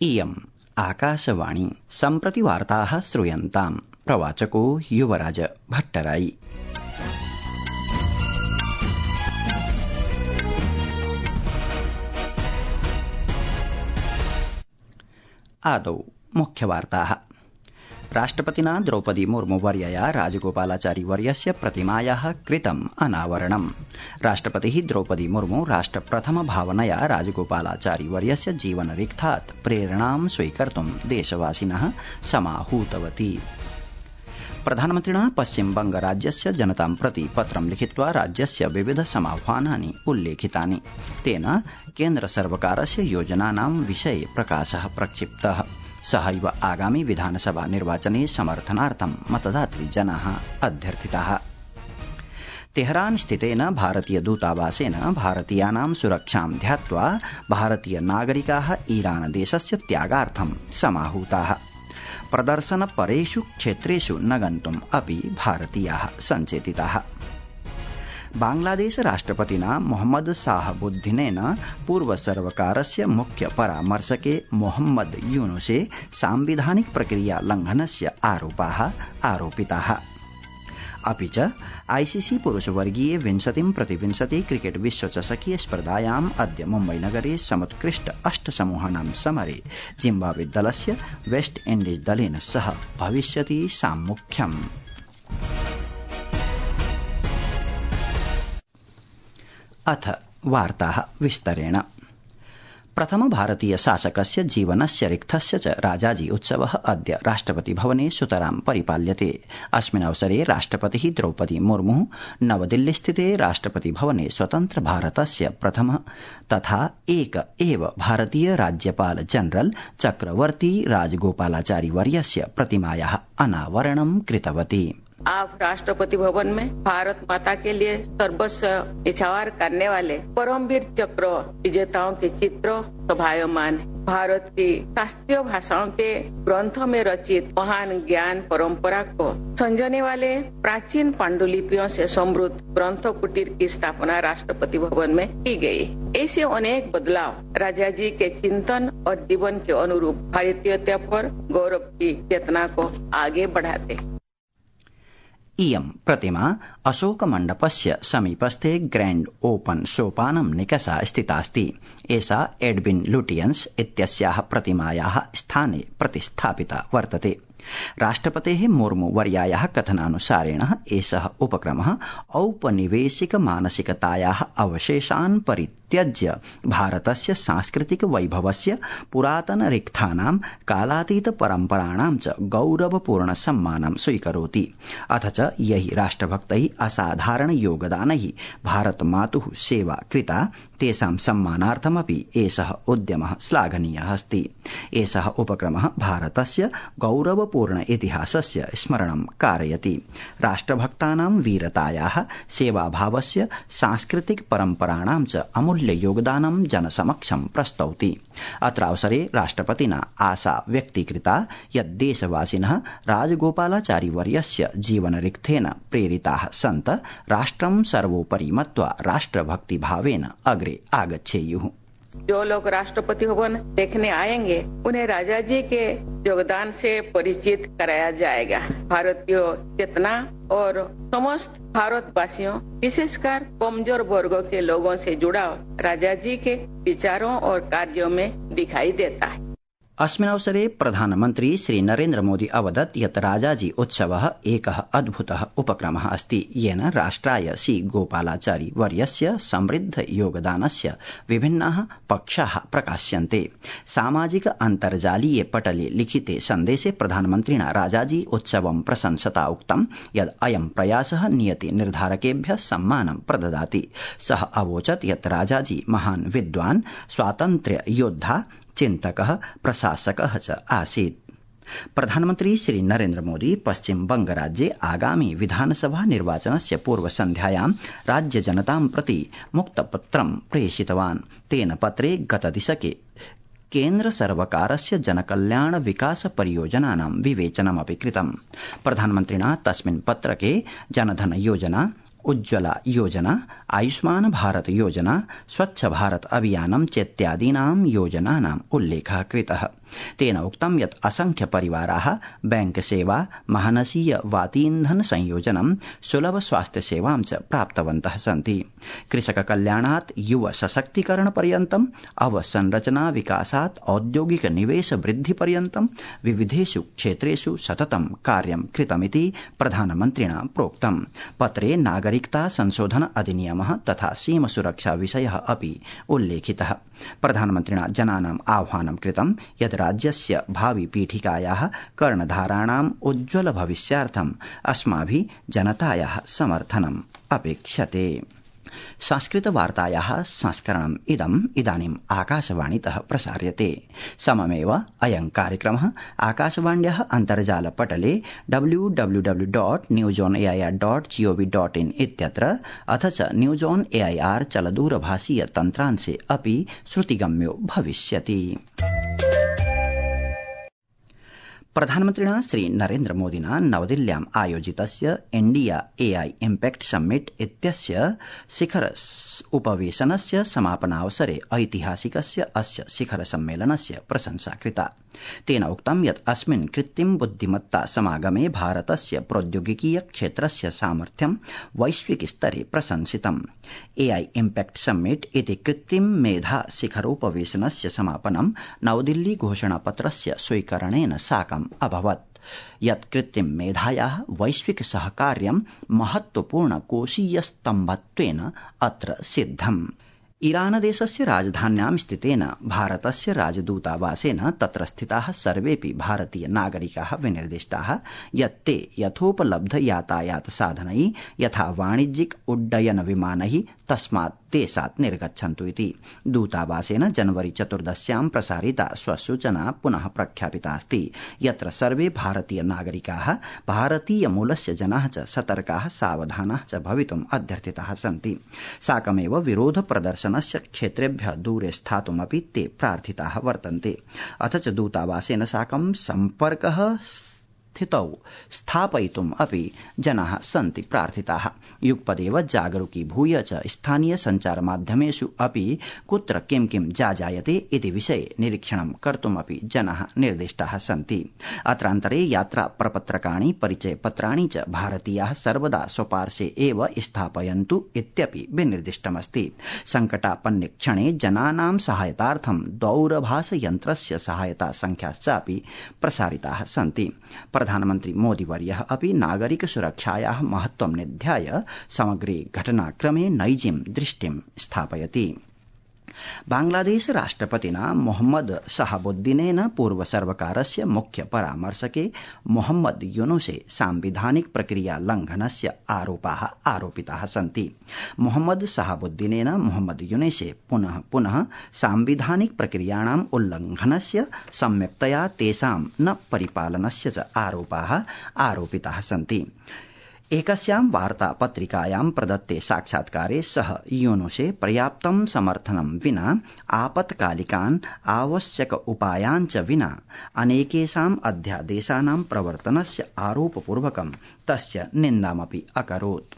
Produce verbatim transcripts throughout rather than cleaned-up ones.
इयम् आकाशवाणी सम्प्रति वार्ताः श्रूयन्ताम्। प्रवाचको युवराज भट्टराई। आदौ मुख्यवार्ताः। राष्ट्रपतिना द्रौपदी मुर्मू वर्यया राजगोपालाचारी वर्यस्य प्रतिमायाः कृतम् अनावरणम्। राष्ट्रपतिः द्रौपदी मुर्मू राष्ट्रप्रथम भावनया राजगोपालाचारी वर्यस्य जीवनरिक्थात् प्रेरणां स्वीकर्तुं देशवासिनः समाहूतवती। प्रधानमन्त्रिणा पश्चिमबंगराज्यस्य जनतां प्रति पत्रं लिखित्वा राज्यस्य विविध समाह्वानानि उल्लेखितानि। तेन केन्द्रसर्वकारस्य योजनानां विषये प्रकाशः प्रक्षिप्तः। सहैव आगामि विधानसभा निर्वाचने समर्थनार्थं मतदातृजनाः अध्यर्थिताः। तेहरान स्थितेन भारतीय दूतावासेन भारतीयानां सुरक्षां ध्यात्वा भारतीय नागरिकाः ईरान देशस्य त्यागार्थं समाहूताः। प्रदर्शनपरेषु क्षेत्रेषु न गन्तुम् अपि भारतीयाः सञ्चेतिताः। बांग्लादेश राष्ट्रपतिना मोहम्मद शाहबुद्दीनेन पूर्वसर्वकारस्य मुख्य परामर्शके मोहम्मद यूनुसे सांविधानिक प्रक्रिया लंघनस्य आरोपाः आरोपिताः। अपि च आईसीसी पुरुषवर्गीये विंशतिं प्रति विंशति क्रिकेट विश्वचषकीय स्पर्धायाम् अद्य मुम्बईनगरे समुत्कृष्ट अष्टसमूहानां समरे जिम्बाब्वे दलस्य वेस्ट इण्डीज दलेन सह भविष्यति साम्मुख्यम्। अथ वार्ताः विस्तरेण। प्रथम भारतीय शासकस्य जीवनस्य रिक्थस्य च राजाजी उत्सवः अद्य राष्ट्रपति भवने सुतरां परिपाल्यते। अस्मिन् अवसरे राष्ट्रपतिः द्रौपदी मुर्मू नवदिल्लीस्थिते राष्ट्रपति भवने स्वतन्त्र भारतस्य प्रथम तथा एक एव भारतीय राज्यपाल जनरल चक्रवर्ती राजगोपालाचारी वर्यस्य प्रतिमायाः अनावरणं कृतवती। आप राष्ट्रपति भवन में भारत माता के लिए सर्वस्व न्यौछावर करने वाले परमवीर चक्र विजेताओं के चित्र शोभायमान। भारत की शास्त्रीय भाषाओं के ग्रंथों में रचित महान ज्ञान परंपरा को संजोने वाले प्राचीन पांडुलिपियों से समृद्ध ग्रंथ कुटीर की स्थापना राष्ट्रपति भवन में की गई। ऐसे अनेक बदलाव राजा जी के चिंतन और जीवन के अनुरूप भारतीयता पर गौरव की चेतना को आगे बढ़ाते। इयं प्रतिमा अशोकमण्डपस्य समीपस्थे ग्रैंड ओपन सोपानं निकषा स्थितास्ति। एषा एडविन लुटियन्स इत्यस्याः प्रतिमायाः स्थाने प्रतिष्ठापिता वर्तते। राष्ट्रपतेः मुर्मू वर्यायाः कथनानुसारेण एषः उपक्रमः औपनिवेशिक मानसिकतायाः अवशेषान् परित्यज्य भारतस्य सांस्कृतिक वैभवस्य पुरातन रिक्थानां कालातीत परम्पराणां च गौरवपूर्ण सम्मानं स्वीकरोति। अथ च यैः राष्ट्रभक्तैः असाधारण योगदानैः भारतमातुः सेवा कृता तेषां सम्मानार्थमपि एषः उद्यमः श्लाघनीयः अस्ति। एषः उपक्रमः भारतस्य गौरवपूर्ण इतिहासस्य स्मरणं कारयति। राष्ट्रभक्तानां वीरतायाः सेवाभावस्य सांस्कृतिक परम्पराणां च अमूल्य योगदानं जनसमक्षं प्रस्तौति। अत्रावसरे राष्ट्रपतिना आशा व्यक्तीकृता यत् देशवासिनः राजगोपालाचारी वर्यस्य जीवनरिक्थेन प्रेरिताः सन्त राष्ट्रं सर्वोपरि मत्वा राष्ट्रभक्तिभावेन अग्रे आगच्छेयुः। जो लोग राष्ट्रपति भवन देखने आएंगे उन्हें राजा जी के योगदान से परिचित कराया जाएगा। भारतीय चेतना और समस्त भारतवासियों विशेषकर कमजोर वर्गों के लोगों से जुड़ाव राजा जी के विचारों और कार्यों में दिखाई देता है। अस्मिन् अवसरे प्रधानमन्त्री श्री नरेन्द्र मोदी अवदत् यत् राजाजी उत्सवः एकः अद्भुतः उपक्रमः अस्ति येन राष्ट्राय श्री गोपालाचारी वर्यस्य समृद्ध योगदानस्य विभिन्नाः पक्षाः प्रकाश्यन्ते। सामाजिक अन्तर्जालीय पटले लिखिते सन्देशे प्रधानमन्त्रिणा राजाजी उत्सवं प्रशंसता उक्तं यत् अयं प्रयासः नियति निर्धारकेभ्यः सम्मानं प्रददाति। सः अवोचत् यत् राजाजी महान् विद्वान् स्वातन्त्र्य योद्धा चिन्तकः प्रशासकः च आसीत्। प्रधानमन्त्री श्री नरेन्द्र मोदी पश्चिम बंगराज्ये आगामी विधानसभा निर्वाचनस्य पूर्वसन्ध्यायां राज्यजनतां प्रति मुक्तपत्रं प्रेषितवान्। तेन पत्रे गतदिशके केन्द्रसर्वकारस्य जनकल्याण विकास परियोजनानां विवेचनमपि कृतम्। प्रधानमन्त्रिणा तस्मिन् पत्रके जनधन योजना, उज्ज्वला योजना, आयुष्मान भारत योजना, स्वच्छ भारत अभियानं चेत्यादीनां योजनानाम् उल्लेखः कृतः। तेन उक्तं यत् असंख्य परिवाराः बैंक सेवा, महानसीय वातीन्धन संयोजनं, सुलभ स्वास्थ्य सेवां च प्राप्तवन्तः सन्ति। कृषक कल्याणात् युव सशक्तीकरण पर्यन्तम्, अवसंरचना विकासात् औद्योगिक निवेश वृद्धि पर्यन्तं विविधेषु क्षेत्रेषु सततं कार्यं कृतमिति प्रधानमन्त्रिणा प्रोक्तम्। पत्रे नागरिकता संशोधन अधिनियमः तथा सीम सुरक्षा विषयः अपि उल्लेखितः। प्रधानमन्त्रिणा जनानाम् आह्वानं कृतं यत् राज्यस्य भावि पीठिकायाः कर्णधाराणाम् उज्ज्वल भविष्यार्थम् अस्माभिः जनतायाः समर्थनम् अपेक्ष्यते। संस्कृतवार्तायाः संस्करणम् इदम् इदानीम् आकाशवाणीतः प्रसार्यते। सममेव अयं कार्यक्रमः आकाशवाण्याः अन्तर्जालपटले W W W dot news on A I R dot GOV dot in इत्यत्र अथ च news on A I R चलदूरभाषीय तन्त्रांशे अपि श्रुतिगम्यो भविष्यति। प्रधानमन्त्रिणा श्री नरेन्द्र मोदिना नवदिल्ल्याम् आयोजितस्य India A I impact summit इत्यस्य शिखर उपवेशनस्य समापनावसरे ऐतिहासिकस्य अस्य शिखर सम्मेलनस्य प्रशंसा कृता। तेन उक्तं यत् अस्मिन् कृत्रिम बुद्धिमत्ता समागमे भारतस्य प्रौद्योगिकीय क्षेत्रस्य सामर्थ्यं वैश्विक स्तरे प्रशंसितम्। ए आई इम्पैक्ट समिट इति कृत्रिम मेधा शिखरोपवेशनस्य समापनं नवदिल्ली घोषणापत्रस्य स्वीकरणेन साकम् अभवत्, यत् कृत्रिम मेधायाः वैश्विक सहकार्यं महत्वपूर्ण कोशीय स्तम्भत्वेन अत्र सिद्धम्। ईरान देशस्य राजधान्यां स्थितेन भारतस्य राजदूतावासेन तत्र स्थिताः सर्वेपि भारतीय नागरिकाः विनिर्दिष्टाः यत् ते यथोपलब्ध यातायात साधनैः यथा वाणिज्यिक उड्डयन विमानैः तस्मात् देशात् निर्गच्छन्तु इति। दूतावासेन जनवरी चतुर्दश्यां प्रसारिता स्वसूचना पुनः प्रख्यापितास्ति, यत्र सर्वे भारतीय नागरिकाः भारतीय मूलस्य जनाः च सतर्काः सावधानाः च भवितुम् अध्यर्थिताः सन्ति। साकमेव विरोध प्रदर्शनस्य क्षेत्रेभ्यः दूरे स्थातुमपि ते प्रार्थिताः वर्तन्ते। अथ च दूतावासेन साकं सम्पर्कः स्थितौ स्थापयितुम् अपि जनाः सन्ति प्रार्थिताः। युगपदेव जागरूकीभूय च स्थानीय सञ्चारमाध्यमेषु अपि कुत्र किं किं जाजायते इति विषये निरीक्षणं कर्तुमपि जनाः निर्दिष्टाः सन्ति। अत्रान्तरे यात्रा प्रपत्रकाणि परिचयपत्राणि च भारतीयाः सर्वदा स्वपार्श्वे एव स्थापयन्तु इत्यपि विनिर्दिष्टमस्ति। सङ्कटापन्ने क्षणे जनानां सहायतार्थं दूरभाषयन्त्रस्य सहायता संख्याश्चापि प्रसारिताः सन्ति। प्रधानमन्त्री मोदीवर्यः अपि नागरिक सुरक्षायाः महत्त्वं निध्याय समग्रे घटनाक्रमे नैजीं दृष्टिं स्थापयति। बांग्लादेश राष्ट्रपतिना मोहम्मद शहाबुद्दीनेन पूर्व सर्वकारस्य मुख्य परामर्शके मोहम्मद यूनुसे सांविधानिक प्रक्रिया लंघनस्य आरोपाः आरोपिताः सन्ति। मोहम्मद शहाबुद्दीनेन मोहम्मद यूनुसे पुनः पुनः सांविधानिक प्रक्रियाणाम् उल्लंघनस्य, सम्यक्तया तेषां न परिपालनस्य च आरोपाः आरोपिताः सन्ति। एकस्यां वार्तापत्रिकायां प्रदत्ते साक्षात्कारे सः यूनुसे पर्याप्तं समर्थनं विना, आपत्कालिकान् आवश्यक उपायान् च विना अनेकेषाम् अध्यादेशानां प्रवर्तनस्य आरोपपूर्वकं तस्य निन्दामपि अकरोत्।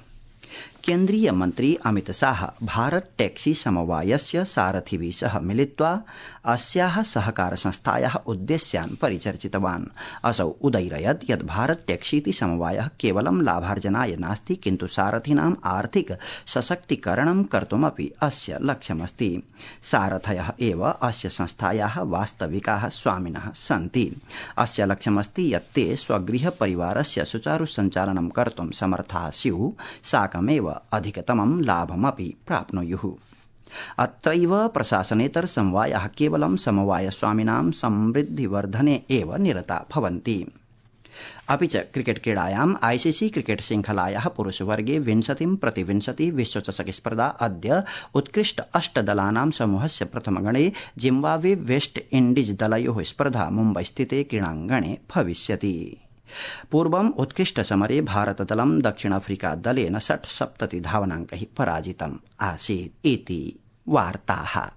केन्द्रीय मन्त्री अमित शाह भारत टैक्सी समवायस्य सारथिभिः सह मिलित्वा अस्याः सहकार संस्थायाः उद्देश्यान् परिचर्चितवान्। असौ उदैरयत् यत् भारत टैक्सीति समवायः केवलं लाभार्जनाय नास्ति, किन्तु सारथिनाम् आर्थिक सशक्तीकरणं कर्तुमपि अस्य लक्ष्यमस्ति। सारथयः एव अस्य संस्थायाः वास्तविकाः स्वामिनः सन्ति। अस्य लक्ष्यमस्ति यत् ते स्वगृह परिवारस्य सुचारु सञ्चालनं कर्तुं समर्थाः स्युः, साकमेव अधिकतमं लाभमपि प्राप्नुयुः। अत्रैव प्रशासनेतर समवायाः केवलं समवायस्वामिनां समृद्धिवर्धने एव निरता भवन्ति। अपि च क्रिकेट क्रीडायाम् आईसीसी क्रिकेट श्रृंखलायाः पुरुषवर्गे विंशतिं प्रति विंशति विश्वचषक स्पर्धा अद्य उत्कृष्ट अष्टदलानां समूहस्य प्रथमगणे जिम्बाब्वे वेस्ट इण्डीज दलयोः स्पर्धा मुम्बईस्थिते क्रीडाङ्गणे भविष्यति। पूर्वम् उत्कृष्टसमरे भारतदलं दक्षिणाफ्रिका दलेन षट्सप्तति धावनाङ्कैः पराजितम् आसीत् इति वार्ताः।